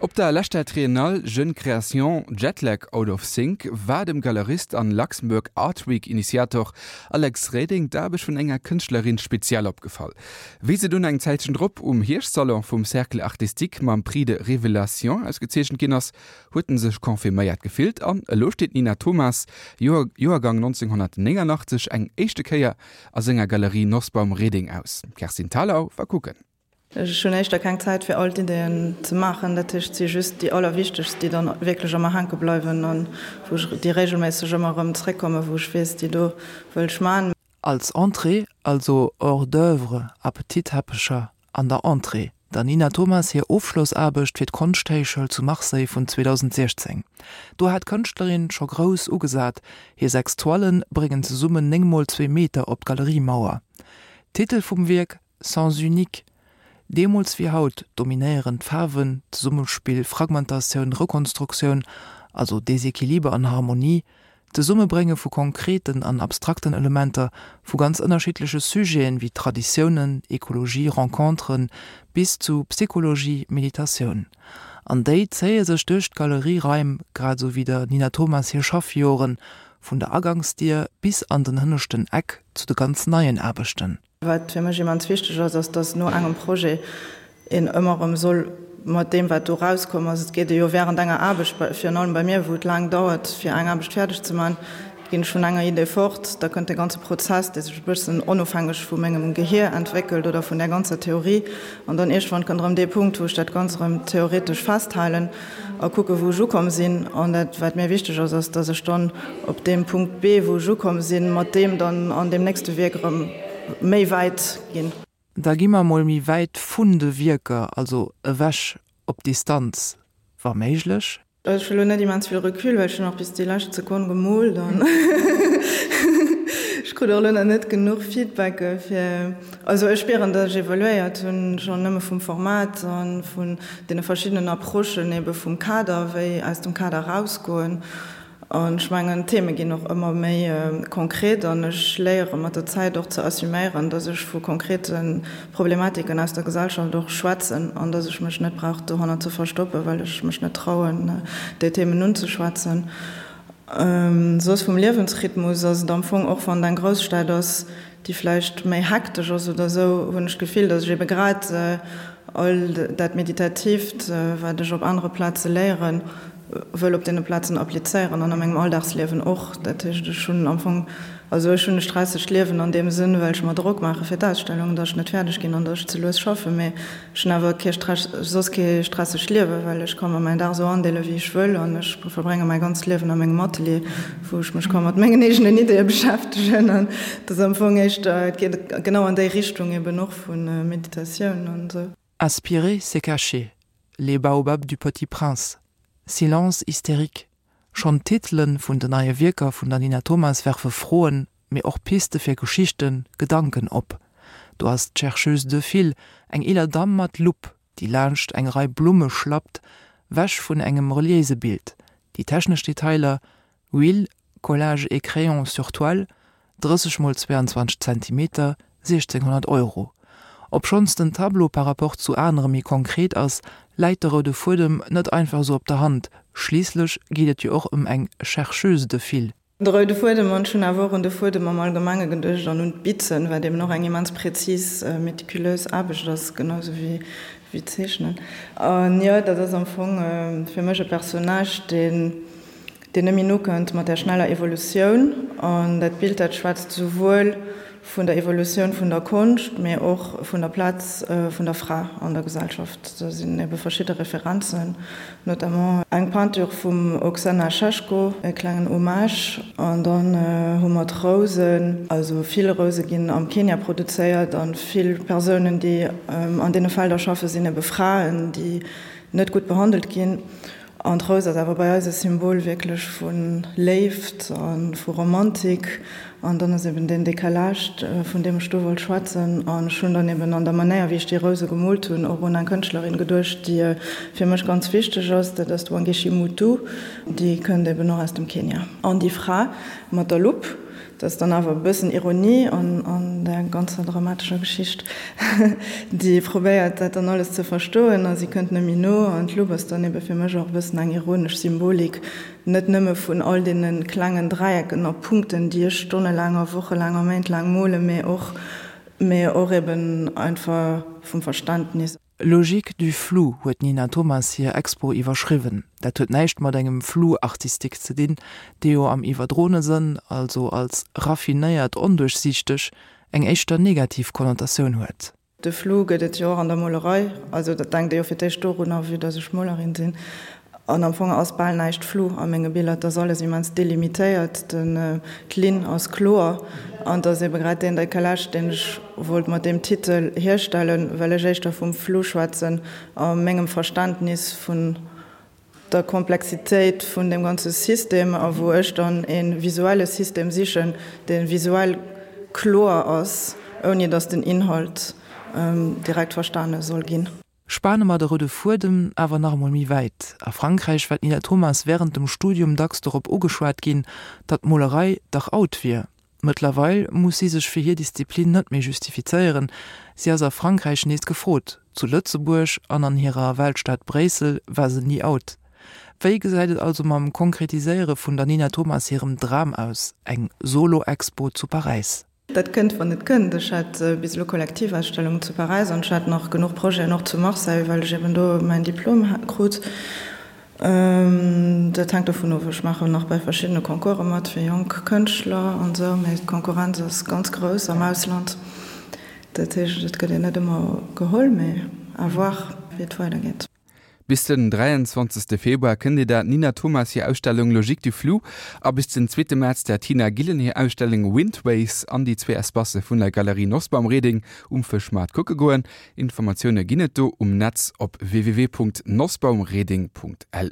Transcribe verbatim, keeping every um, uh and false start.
Op der leschter Triennale Jeune Création Jetlag Out of Sync war dem Galerist an Luxembourg Art Week Initiator Alex Reding d'Aarbecht vun enger Kënschtlerin speziell opgefall. Wéi se dunn eng Zäitchen drop um Hierschtsalon vum Cercle Artistique mam Prix de Révélation ausgezeechent ginn ass, huet en sech confirméiert gefillt an elo steet d'Nina Thomas, Joergang nonzénghonnertnénganachtzeg, eng éischte Kéier a senger Galerie Nosbaum Reding aus. D'Kerstin Thalau war kucken. Ech hunn éischter keng Zäit fir all d'Ideeën ze maachen, dat heescht et si just déi allerwichtegst, déi dann wierklech a mer hänke bleiwen an wou ech déi regelméisseg ëmmer erëm zréckkommen, wou ech weess, déi do wëll ech man. Als Entrée, also Hors d'oeuvre, Appetitteppecher an der Entrée, der Nina Thomas hir Ofschlossaarbecht fir d'Konschthéichschoul zu Marseille vun zweedausendsiechzéng. Do hat d'Kënschtlerin scho grouss ugesat, hir sechs Toilen bréngen zesummen néng mol zwee Meter op d'Galeriemauer. Titel vum Wierk, Sens unique. Deemools wéi haut dominéieren d'Faarwen, d'Zesummespill, Fragmentatioun, Rekonstruktioun, also Desequiliber an Harmonie, d'Zesummebrénge vu konkreten an abstrakten Elementer, vu ganz ënnerschiddleche Sujeten, wéi Traditiounen, Ekologie, Renconteren, bis zu Psychologie, Meditatioun. An déi zéie sech duerch d'Galeriereim, grad esou wéi der Nina Thomas hir Schaffjoren, vun der Agangsdier bis an den hënneschten Eck zu de ganz neien Aarbechten. Wat fir mech immens wichteg ass, ass, dass no engem Projet een ëmmer erëm soll mat deem, wat do erauskomm ass, et geet ee jo während enger Aarbecht, virun allem bei mir, wou et laang dauert, fir eng Aarbecht fäerdeg ze maachen, ginn ech vun enger Idee fort, da kënnt de ganze Prozess, dee sech e bëssen onofhängeg vu mengem Gehier entwéckelt oder vun där ganzer Theorie, an dann iergendwann kënnt erëm dee Punkt, wou ech dat Ganzt erëm theoretesch festhalen a kucke wou ech ukomm sinn. An dat, wat mir wichteg ass, ass, dass ech dann op deem Punkt B, wou ech ukomm sinn, mat deem dann an deem nächste Wierk erëm méi wäit ginn. Da gi mer mol méi wäit vun de Wierker, also ewech, op Distanz, wa méiglech. Ech hu lo net immens vill Recul, well ech hunn och bis déi lescht Sekonn gemoolt an ech krut och lo nach net genuch Feedbacke fir, also ech spieren, datt ech evoluéiert hunn, schonn nëmme vum Format a vun deene verschiddenen Approchen ebe vum Kader, wéi aus dem Kader erausgoen. An ech mengen, d'Theme ginn och ëmmer méi konkret an ech léiere mat der Zäit och ze assuméieren, dass ech vu konkrete Problematiken aus der Gesellschaft och schwätzen an dass ech mech net brauch dohannert ze verstoppen, well ech mech net trauen, déi Themen unzeschwätzen. Soss vum Liewensrhythmus ass et am Fong, och wann et eng Grousstad ass, déi vläicht méi hektesch ass oder esou, hunn ech d'Gefill, dass ech ebe grad all dat Meditatiivt, wat ech op anere Plaze léieren, wëll op deene Plazen applizéieren an a mengem Alldagsliewen och. Dat heescht, ech hunn am Fong, also ech hunn e stressegt Liewen an deem Sënn, well ech mer Drock maache fir d'Ausstellung, datt ech net fäerdeg ginn an datt ech ze lues schaffen, mee ech hunn awer kee Stress, soss kee stressegt Liewen, well ech ka mer mäin Dag esou andeele wéi ech wëll an ech verbrénge mäi ganzt Liewen a mengem Atelier, wou ech mech ka mat mengen eegenen Ideeë beschäftegen an dat ass am Fong éischter, et geet genau an déi Richtung eben och vu Meditatioun an esou. Aspirer, c'est cacher. Les baobabs du Petit Prince. Silence hystérique. Schonn d'Titele vun den neie Wierker vun der Nina Thomas werfe Froen, mee och Piste fir Geschichten, Gedanken op. Do ass d'Chercheuse de fil, eng eeler Damm mat Lupp, déi laanscht eng Rei Blumme schlappt, wech vun engem reliéise Bild. Déi technesch Detailer, Huile, Collage et crayon sur toile, drësseg mol zweiandzwanzeg Zentimeter, siechzénghonnert Euro. Obschonns den Tableau par rapport zu anere méi konkret ass, läit de roude Fuedem net einfach esou op der Hand, schliisslech geet et jo och ëm eng Chercheuse de fil. De roude Fuedem, an ech hunn awer och un de Fuedem am Allgemenge geduecht an un d'Bitzen, wat eben och eng immens präzis, meticulös Aarbecht ass, genau esou wéi d'Zeechnen. An jo, dat ass am Fong fir mech e Personnage, deen deen net méi nokënnt mat där schneller Evolutioun. An dat Bild, dat schwätzt souwuel vun der Evolutioun vun der Konscht, mee och vun der Plaz vun der Fra an der Gesellschaft. Do sinn ebe verschidde Referenzen, notamment eng Peinture vum Oksana Shashko, e klengen Hommage. An dann hu mer d'Rousen. Also vill Rouse ginn am Kenia produzéiert a vill Persounen, déi an deene Felder schaffen, sinn ebe Fraen, déi net gutt behandelt ginn. An d'Rous ass awer bei eis e Symbol wierklech vu Léift a vu Romantik. An dann ass eben deen Décalage, vun deem ech do wollt schwätzen. An ech hunn dann eben an der Manéier, wéi ech déi Rouse gemoolt hunn, och un eng Kënschtlerin geduecht, déi fir mech ganz wichteg ass, dat ass d'Wangechi Mutu. Déi kënnt eben och aus dem Kenia. An déi Fra mat der Lupp, Dat ass dann awer e bëssen Ironie an an der ganzer dramatescher Geschicht, déi probéiert dat dann alles ze verstoen a si kënnt net méi no. An d'Lupp ass dann ebe fir mech och e bëssen eng ironesch Symbolik, net nëmme vun all deene klengen Dräiecken a Punkten, déi ech stonnelaang a wochelaang a méintlaang molen, mee och mee och eben einfach vum Verständnis. Logique du flou huet d'Nina Thomas hir Expo iwwerschriwwen. Dat huet näischt mat engem Flou artistique ze dinn, dee jo am iwwerdroene Sënn, also als raffinéiert onduerchsiichteg, eng éischter negativ Konnotatioun huet. De Flou gëtt et jo och an der Molerei, also dat denkt ee jo fir d'éischt dorunner, vue dass ech Molerin sinn. An am Fong ass bal näischt flou a menge Biller, et ass alles immens delimitéiert, den, d'Linn ass kloer. An et ass ebe grad deen Décalage, deen ech wollt mat deem Titel hierstellen, well ech éischter vum Flou schwätzen a mengem Verständnis vun der Komplexitéit vun deem ganze System a wou ech dann e visuelle System sichen, dee visuell kloer ass, ouni datt den Inhalt direkt verstane soll ginn. Spane mer de roude Fuedem awer nach emol méi wäit, A Frankräich war d'Nina Thomas wärend dem Studium dacks dorop ugeschwat ginn, datt d'Molerei dach out wier. Mëttlerweil muss si sech fir hir Disziplin net méi justifizéieren, si ass a Frankräich nees gefrot, zu Lëtzebuerg an an hirer Weltstad Bréissel war se ni out. Wéi gesäit et also mam Konkretiséiere vun der Nina Thomas hirem Dram aus, eng Solo-Expo zu Paräis? Dat kënnt, wann et kënnt. Ech hat bis elo Kollektivausstellungen zu Paräis an ech hat nach genuch Projeten och zu Marseille, well ech eben do mäin Diplom krut. Dat hänkt dovun of, ech maachen nach bei verschiddene Concourse mat fir jonk Kënschtler an esou, mee d'Konkurrenz ass ganz grouss am Ausland. Dat heescht, et gëtt een net ëmmer geholl, mee à voir, wéi et weidergeet. Bis den dräianzwanzegste Februar kënnt Dir der Nina Thomas hir Ausstellung Logique du flou a bis den zweete Mäerz der Tina Gillen hir Ausstellung Windways an déi zwee Espacë vun der Galerie Nosbaum Reding um Fëschmaart kucke goen. Informatioune ginn et do um Netz op www.nosbaumreding.lu.